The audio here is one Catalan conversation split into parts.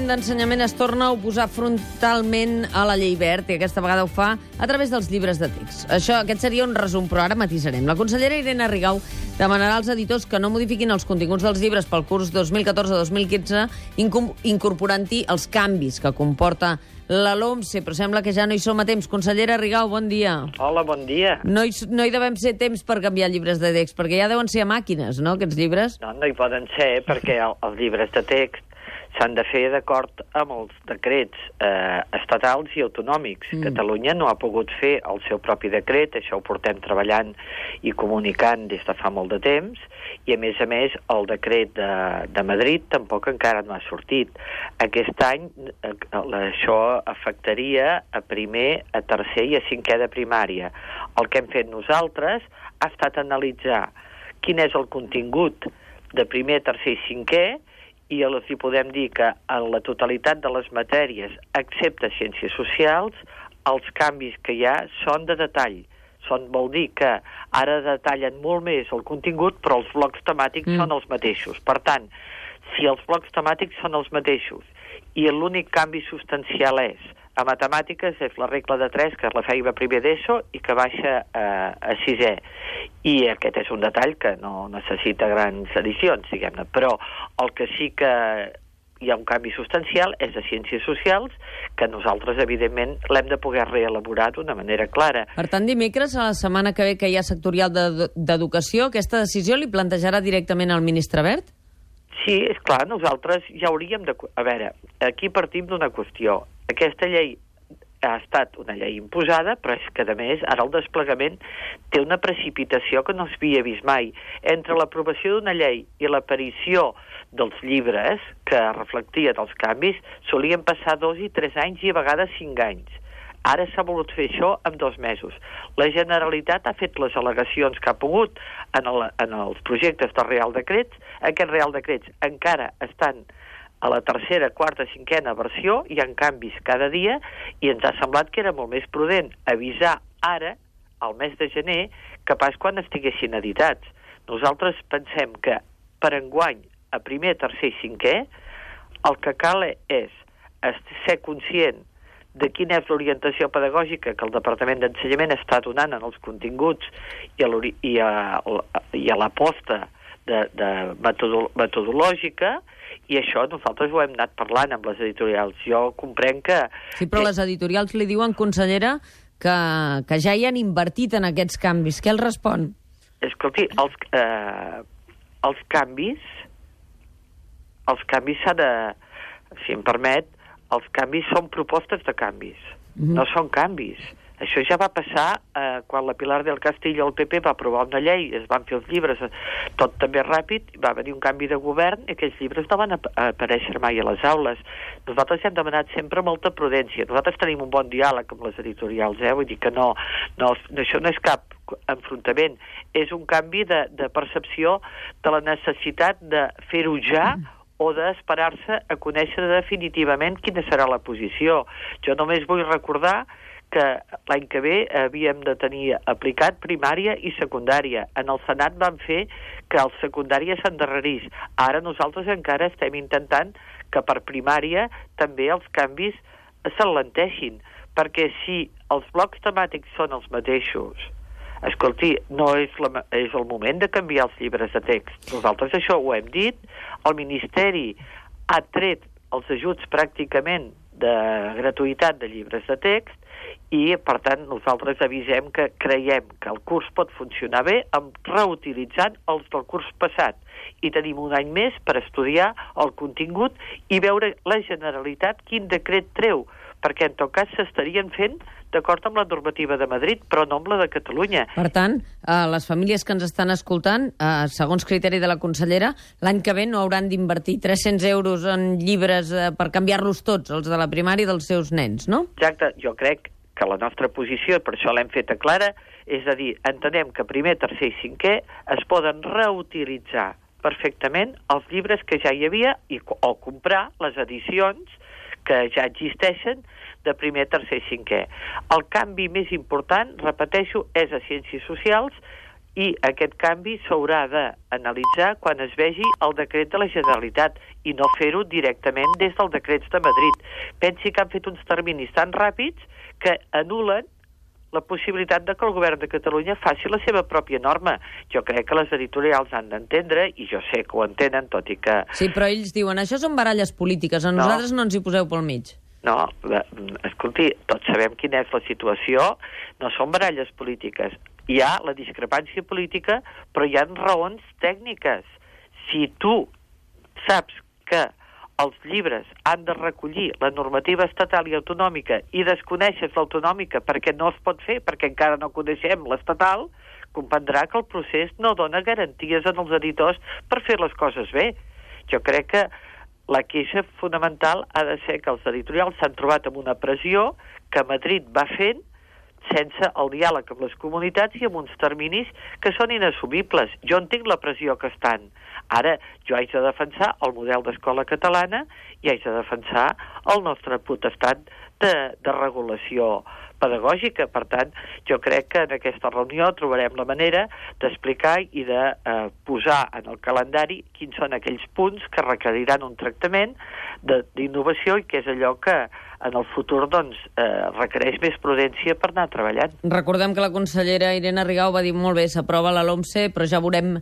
Departament d'Ensenyament es torna a oposar frontalment a la llei Wert i aquesta vegada ho fa a través dels llibres de text. Aquest seria un resum, però ara matisarem. La consellera Irene Rigau demanarà als editors que no modifiquin els continguts dels llibres pel curs 2014-2015 incorporant-hi els canvis que comporta la LOMCE, però sembla que ja no hi som a temps. Consellera Rigau, bon dia. Hola, bon dia. No hi devem ser temps per canviar llibres de text, perquè ja deuen ser a màquines, no?, aquests llibres? No hi poden ser, perquè els llibres de text s'han de fer d'acord amb els decrets estatals i autonòmics. Catalunya no ha pogut fer el seu propi decret, això ho portem treballant i comunicant des de fa molt de temps, i a més, el decret de Madrid tampoc encara no ha sortit. Aquest any això afectaria a primer, a tercer i a cinquè de primària. El que hem fet nosaltres ha estat analitzar quin és el contingut de primer, tercer i cinquè, i els hi podem dir que en la totalitat de les matèries, excepte ciències socials, els canvis que hi ha són de detall. Vol dir que ara detallen molt més el contingut, però els blocs temàtics són els mateixos. Per tant, si els blocs temàtics són els mateixos i l'únic canvi substancial a matemàtiques és la regla de 3, que la feia a primer d'ESO i que baixa a sisè. I aquest és un detall que no necessita grans edicions, diguem-ne. Però el que sí que hi ha un canvi substancial és de ciències socials, que nosaltres, evidentment, l'hem de poder reelaborar d'una manera clara. Per tant, dimecres, a la setmana que ve que hi ha sectorial d'educació, aquesta decisió li plantejarà directament al ministre Wert? Sí, és clar, nosaltres ja hauríem de... A veure, aquí partim d'una qüestió. Aquesta llei ha estat una llei imposada, però és que, a més, ara el desplegament té una precipitació que no s'havia vist mai. Entre l'aprovació d'una llei i l'aparició dels llibres que reflectien els canvis, solien passar 2 i 3 anys i a vegades 5 anys. Ara s'ha volut fer això en 2 mesos. La Generalitat ha fet les al·legacions que ha pogut en els projectes de Real Decrets. Aquests Real Decrets encara estan a la tercera, quarta, cinquena versió, hi ha canvis cada dia, i ens ha semblat que era molt més prudent avisar ara, al mes de gener, que pas quan estiguessin editats. Nosaltres pensem que per enguany, a primer, tercer i cinquè, el que cal és ser conscient de quina és l'orientació pedagògica que el Departament d'Ensenyament està donant en els continguts i a l'aposta metodològica, i això nosaltres ho hem anat parlant amb les editorials. Jo comprenc que... Sí, però les editorials li diuen, consellera, que ja hi han invertit en aquests canvis. Què els respon? Escolti, els canvis s'ha de... Si em permet, els canvis són propostes de canvis, no són canvis. Això ja va passar quan la Pilar del Castillo al PP va aprovar una llei, es van fer els llibres tot també ràpid, va venir un canvi de govern i aquells llibres no van aparèixer mai a les aules. Nosaltres hem demanat sempre molta prudència. Nosaltres tenim un bon diàleg amb les editorials, vull dir que això no és cap enfrontament, és un canvi de percepció de la necessitat de fer-ho ja o d'esperar-se a conèixer definitivament quina serà la posició. Jo només vull recordar que l'any que ve havíem de tenir aplicat primària i secundària. En el Senat van fer que el secundària s'endarrerís. Ara nosaltres encara estem intentant que per primària també els canvis s'alenteixin, perquè si els blocs temàtics són els mateixos, escolti, no és el moment de canviar els llibres de text. Nosaltres això ho hem dit, el Ministeri ha tret els ajuts pràcticament de gratuïtat de llibres de text i, per tant, nosaltres avisem que creiem que el curs pot funcionar bé reutilitzant els del curs passat i tenim un any més per estudiar el contingut i veure la Generalitat quin decret treu, perquè en tot cas s'estarien fent d'acord amb la normativa de Madrid, però no amb la de Catalunya. Per tant, les famílies que ens estan escoltant, segons criteri de la consellera, l'any que ve no hauran d'invertir 300 euros en llibres per canviar-los tots, els de la primària dels seus nens, no? Exacte, jo crec que la nostra posició, per això l'hem feta clara, és a dir, entenem que primer, tercer i cinquè es poden reutilitzar perfectament els llibres que ja hi havia o comprar les edicions que ja existeixen de primer, tercer i cinquè. El canvi més important, repeteixo, és a ciències socials I aquest canvi s'haurà d'analitzar quan es vegi el decret de la Generalitat i no fer-ho directament des dels decrets de Madrid. Pensi que han fet uns terminis tan ràpids que anulen la possibilitat de que el govern de Catalunya faci la seva pròpia norma. Jo crec que les editorials han d'entendre, i jo sé que ho entenen, tot i que... Sí, però ells diuen, això són baralles polítiques, a nosaltres no ens hi poseu pel mig. No, escolti, tots sabem quina és la situació, no són baralles polítiques. Hi ha la discrepància política, però hi ha raons tècniques. Si tu saps que els llibres han de recollir la normativa estatal i autonòmica i desconeixes l'autonòmica perquè no es pot fer, perquè encara no coneixem l'estatal, comprendrà que el procés no dona garanties als editors per fer les coses bé. Jo crec que la queixa fonamental ha de ser que els editorials s'han trobat amb una pressió que Madrid va fent sense el diàleg amb les comunitats i amb uns terminis que són inassumibles. Jo entenc la pressió que estan. Ara, jo haig de defensar el model d'escola catalana i haig de defensar el nostre potestat de regulació pedagògica. Per tant, jo crec que en aquesta reunió trobarem la manera d'explicar i de posar en el calendari quins són aquells punts que requeriran un tractament d'innovació i que és allò que en el futur requereix més prudència per anar treballant. Recordem que la consellera Irene Rigau va dir molt bé, s'aprova la LOMCE, però ja veurem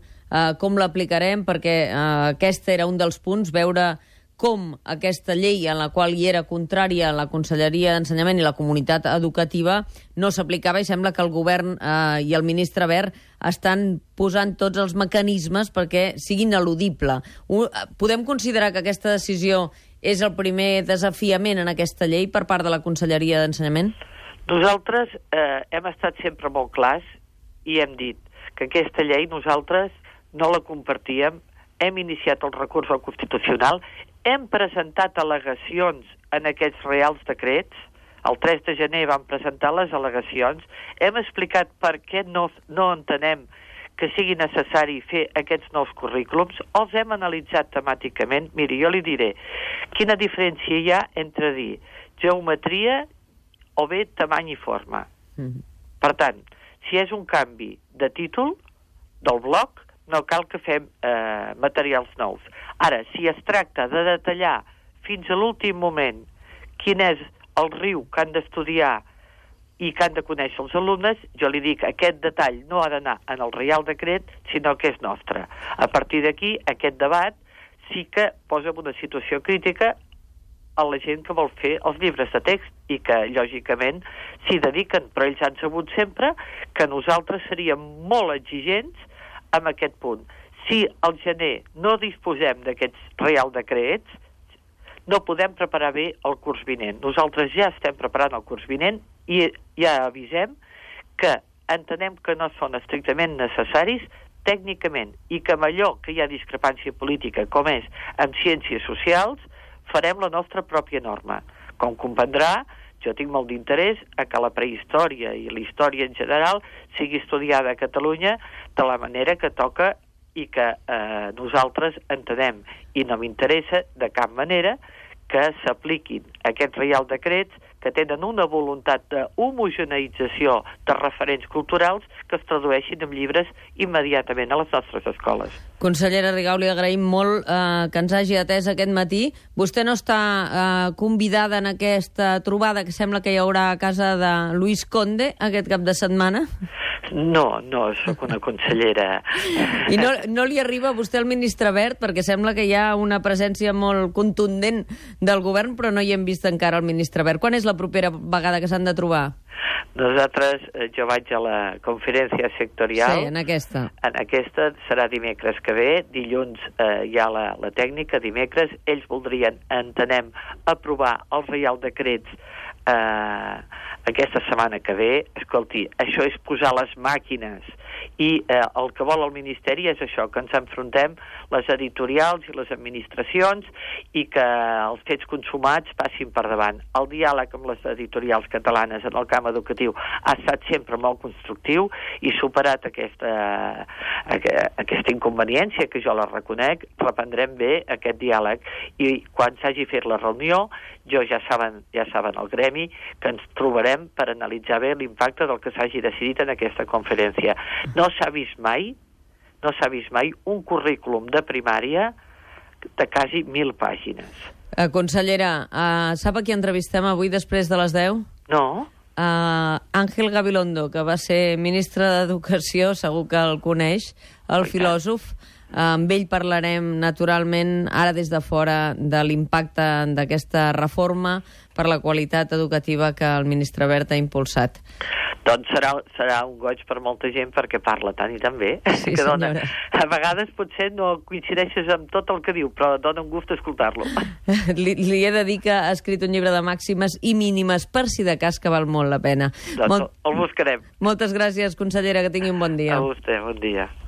com l'aplicarem, perquè aquest era un dels punts, veure com aquesta llei en la qual hi era contrària la Conselleria d'Ensenyament i la comunitat educativa no s'aplicava, i sembla que el govern i el ministre Wert estan posant tots els mecanismes perquè sigui ineludible. Podem considerar que aquesta decisió és el primer desafiament en aquesta llei per part de la Conselleria d'Ensenyament? Nosaltres hem estat sempre molt clars i hem dit que aquesta llei nosaltres no la compartíem, hem iniciat el recurs al Constitucional, hem presentat al·legacions en aquests reials decrets, el 3 de gener vam presentar les al·legacions, hem explicat per què no entenem que sigui necessari fer aquests nous currículums, els hem analitzat temàticament. Miri, jo li diré quina diferència hi ha entre dir geometria o bé tamany i forma. Per tant, si és un canvi de títol del bloc, no cal que fem materials nous. Ara, si es tracta de detallar fins a l'últim moment quin és el riu que han d'estudiar i que han de conèixer els alumnes, jo li dic que aquest detall no ha d'anar en el Reial Decret, sinó que és nostre. A partir d'aquí, aquest debat sí que posa en una situació crítica a la gent que vol fer els llibres de text i que, lògicament, s'hi dediquen, però ells han sabut sempre que nosaltres seríem molt exigents amb aquest punt. Si al gener no disposem d'aquests Reial Decrets, no podem preparar bé el curs vinent. Nosaltres ja estem preparant el curs vinent i ja avisem que entenem que no són estrictament necessaris tècnicament i que amb allò que hi ha discrepància política, com és amb ciències socials, farem la nostra pròpia norma. Com comprendrà, jo tinc molt d'interès a que la prehistòria i la història en general sigui estudiada a Catalunya de la manera que toca i que nosaltres entenem. I no m'interessa de cap manera que s'apliquin aquests Reial Decrets que tenen una voluntat d'homogeneïtzació de referents culturals que es tradueixin en llibres immediatament a les nostres escoles. Consellera Rigau, li agraïm molt que ens hagi atès aquest matí. Vostè no està convidada en aquesta trobada que sembla que hi haurà a casa de Luis Conde aquest cap de setmana? No, sóc una consellera. I no li arriba a vostè el ministre Wert, perquè sembla que hi ha una presència molt contundent del govern, però no hi hem vist encara el ministre Wert. Quan és la propera vegada que s'han de trobar? Nosaltres, jo vaig a la conferència sectorial. Sí, en aquesta. En aquesta serà dimecres que ve, dilluns hi ha la tècnica, dimecres. Ells voldrien, entenem, aprovar els Reial Decrets aquesta setmana que ve. Escolti, això és posar les màquines i el que vol el Ministeri és això, que ens enfrontem les editorials i les administracions i que els fets consumats passin per davant. El diàleg amb les editorials catalanes en el camp educatiu ha estat sempre molt constructiu i superat aquesta inconveniència, que jo la reconec, reprendrem bé aquest diàleg i quan s'hagi fet la reunió, ja saben el gremi que ens trobarem per analitzar bé l'impacte del que s'hagi decidit en aquesta conferència. No s'ha vist mai un currículum de primària de quasi 1.000 pàgines. Consellera, sap a qui entrevistem avui després de les 10? No? Ángel Gabilondo, que va ser ministre d'Educació, segur que el coneix, el filòsof. Amb ell parlarem, naturalment, ara des de fora, de l'impacte d'aquesta reforma per la qualitat educativa que el ministre Wert ha impulsat. Doncs serà un goig per molta gent perquè parla tant i tan bé. Sí, que senyora. A vegades potser no coincideixes amb tot el que diu, però dona un gust escoltar-lo. Li he de dir que ha escrit un llibre de màximes i mínimes, per si de cas, que val molt la pena. Doncs el buscarem. Moltes gràcies, consellera, que tingui un bon dia. A vostè, bon dia.